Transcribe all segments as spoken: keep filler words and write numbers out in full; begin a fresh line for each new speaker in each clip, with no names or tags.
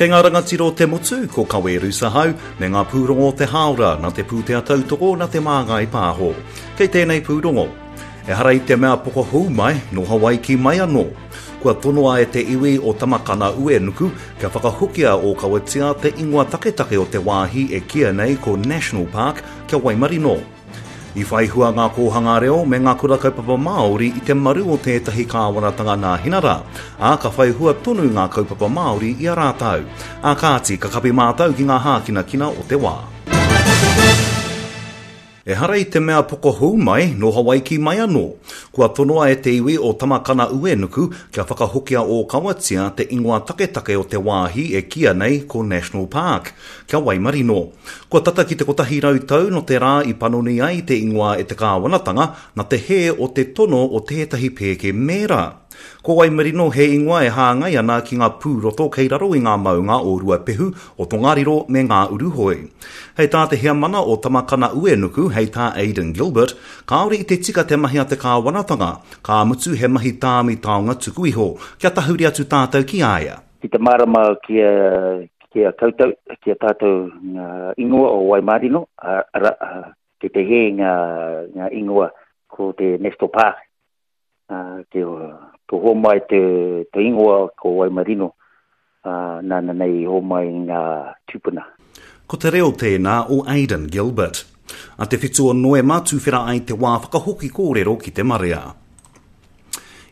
Kei ngā rangatira o te motu, ko Kawe Rusahau, me ngā pūrongo o te hāora nā te pūtea tautoko nā te Māngai Pāho. Kei tēnei pūrongo. Ehara i te mea pokohou mai, nō Hawaiki mai anō. Kua tonoa e te iwi o Tamakana Uenuku kia whakahokia ōkawatia te ingoa taketake o te wāhi e kīia nei ko National Park kia Waimarino. I whai hua ngā kōhanga reo me ngā kura kaupapa Māori i te maru o tētahi kāwanatanga Nāhinara, ā, ka whai hua tonu ngā kaupapa Māori i a rātou. Ā kāti, ka kapi mātou ki ngā hākinakina o te wā. Ehara i te mea pokohou mai, nō Hawaiki mai anō. Kua tonoa e te iwi o Tamakana Uenuku kia whakahokia ōkawatia te ingoa taketake o te wāhi e kīia nei ko National Park, kia Waimarino. Kua tata ki te kotahi rau tau nō te rā i panoni ai te ingoa e te kāwanatanga nā te hē o te tono o tētahi pēke mēra. Ko Waimarino he ingoa e hāngai ana ki ngā pūroto kei raro i ngā maunga o Ruapehu, o Tongariro me Ngā Uruhoi. Hei tā te heamana o Tamakana Uenuku, hei tā Aidan Gilbert, kāore i te tika te mahi a te kāwanatanga, ka mutu he mahi tāmi taonga tuku iho, kia tahuri atu tātou ki a ia.
Ki te mārama ki a, ki a koutou, ki a tātou ngā ingoa o Waimarino, arā, ki te hē ngā, ngā ingoa ko te National Park, te, te homai te, te ingoa ko Waimarino, uh, nāna nei i homai ngā tūpuna.
Ko te reo tēnā o Aidan Gilbert. A te whitu o Noema tuwhera ai te wā whakahoki kōrero ki te marea.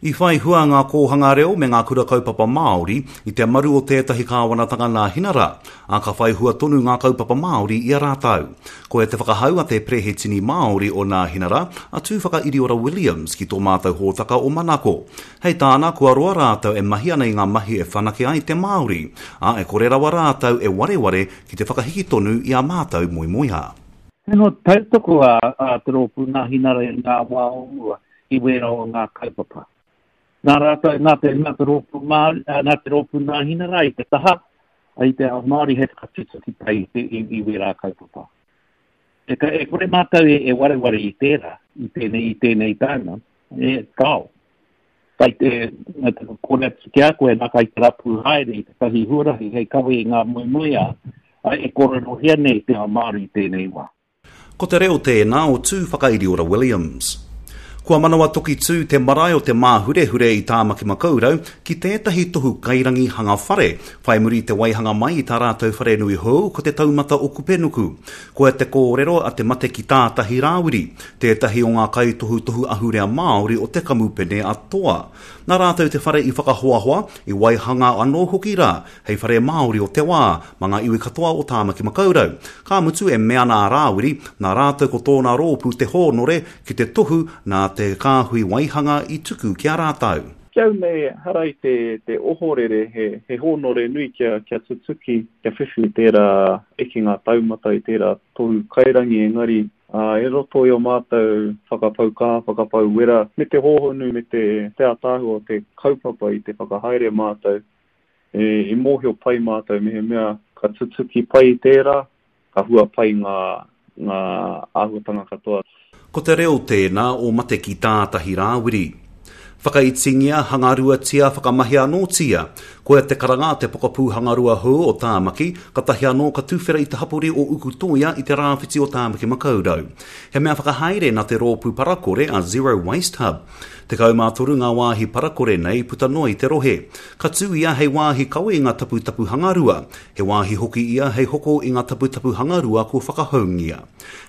I whai hua ngā kōhanga reo me ngā kura kaupapa Māori i te maru o tētahi kāwanatanga Nāhinara, ā, ka whai hua tonu ngā kaupapa Māori i a rātou. Koia te whakahau a te Perehetini Māori o Nāhinara, a Tūwhakairiora Williams ki tō mātou hōtaka o Manako. Hei tāna, kua roa rātou e mahi ana i ngā mahi e whanake ai te Māori, ā, e kore rawa rātou e wareware ki te whakahiki tonu i ā mātou moemoeā.
Tino tautoko a, a te rōpū Nāhinara i ngā wā o mua i wērā o ngā kaupapa. Nā rātou, nā te, nā te rōpū Māori, nā te rōpū Nāhinara i te taha, i te ao Māori hei whakatutuki pai i, i, i wērā kaupapa. E, e kore mātou e, e wareware i tērā, i tēnei, i tēnei taima, e kao. Kai te, nā te kore atu ki a koe, nā kai te rapu haere i te tahi huarahi hei kawe i ngā moemoeā, e kōrerohia nei te ao Māori i tēnei wā.
Ko te reo tēnā o Tūwhakairiora Williams. Kua manawa toki tū te marae o te Māhurehure i Tāmaki Makaurau ki tētahi tohu kairangi hanga whare, whai muri i te waihanga mai i tā rātou wharenui hou ko te taumata o Kupenuku. Koia te kōrero a te mate ki tātahi Rāwiri, tētahi o ngā kaitohutohu ahurea Māori o te kamupene a Toa. Nā rātou te whare i whakahoahoa, i waihanga anō hoki rā, hei whare Māori o te wā, mā ngā iwi katoa o Tāmaki Makaurau. Ka mutu e mea ana a Rāwiri, nā rātou ko tōna rōpū te hōnore ki te tohu nā te kāhui waihanga i tuku ki a rātou.
Ki au nei, hara i te, te ohorere, he, he hōnore nui kia, kia tutuki, kia whiwhi i tērā ekenga taumata, i tērā tohu kairangi, engari uh, e roto i o mātou whakapau kaha, whakapau wera, me te hōhonu, me te, te ātaahua o te kaupapa i te whakahaere mātou, e, i mōhio pai mātou me he mea ka tutuki pai i tērā, ka hua pai ngā, ngā āhuatanga katoa.
Ko te reo tēnā o mate ki tātahi Rāwiri. Whakaitingia, hangaruatia, whakamahia anōtia. Koia te karanga te pokapū hangarua hou o Tāmaki, katahi anō ka tuwhera i te hapori o Ukutoia i te rāwhiti o Tāmaki Makaurau. He mea whakahaere nā te rōpū parakore a Zero Waste Hub. Tekau mā toru ngā wāhi parakore nei puta noa i te rohe. Ka tū ia hei wāhi kawe i ngā taputapu hangarua. He wāhi hoki ia hei hoko i ngā taputapu hangarua kua whakahoungia.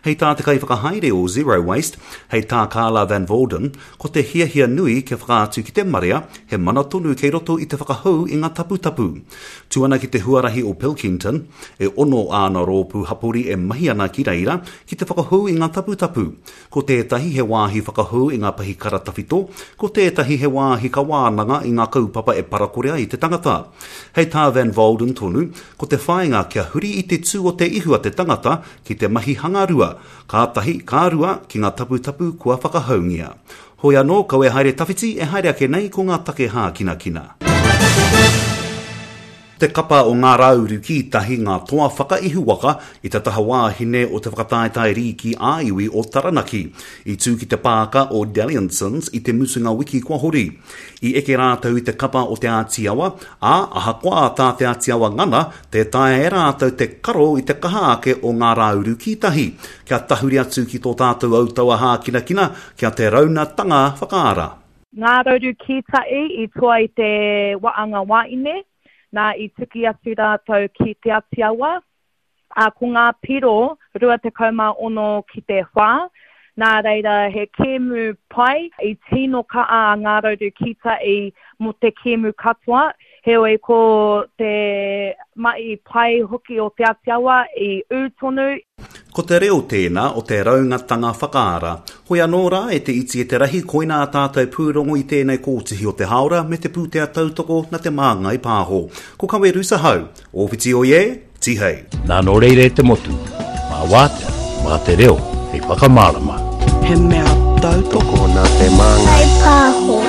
Hei tā te kaiwhakahaere o Zero Waste, hei tā Carla Van Volden, ko te hiahia nui kia whakaatu ki te marea, he mana tonu kei roto i te whakahou i ngā taputapu. Tū ana ki te huarahi o Pilkington, e ono āna rōpū hapori e mahi ana ki reira ki te whakahou i ngā taputapu. Ko tētahi he wāhi whakahou i ngā pahikara tawhito, ko tētahi he wāhi ka wānanga i ngā kaupapa e parakore ai te tangata. Hei tā Van Volden tonu, ko te whāinga kia huri i te tū o te ihu a te tangata ki te mahi hangarua, ka tahi, ka rua ki ngā taputapu kua whakahoungia. Hoi anō, kau e haere tawhiti, e haere ake nei ko ngā take hākinakina. Te kapa o Ngā Rauru Kītahi ngā toa whakaihuwaka i te taha wāhine o te whakataetae rīki ā-iwi o Taranaki, i tū ki te pāka o Dalliansons i te mutunga wiki kua hori. I eke rātou i te kapa o Te Āti Awa, ā, ahakoa tā Te Āti Awa ngana, tē taea e rātou te karo i te kaha ake o Ngā Rauru Kītahi. Kia tahuri atu ki tō tātou autaua hākinakina, kia te raunatanga whakaara.
Ngā Rauru Kītahi i toa i te waanga wāine, nā i tuki atu rātou ki Te Āti Awa, ā, ko ngā piro rua tekau mā ono ki te whā, nā reira he kēmu pai, i tino kaha a Ngā Rauru Kītahi mō te kēmu katoa, heoi ko te mahi pai hoki o Te Āti Awa i ū tonu.
Ko te reo tēnā o te raungatanga whakaara. Hoi anō rā e te iti e te rahi, koinā ā tātou pūrongo i tēnei kōtihi o te hāora me te pūtea tautoko na Te Māngai Pāho. Ko Kawe Rusahau, Ōwhiti oye, Tihei.
Nā nō reira e te motu, mā wātea, mā te reo hei whakamārama.
He mea tautoko
nā Te Māngai
Pāho.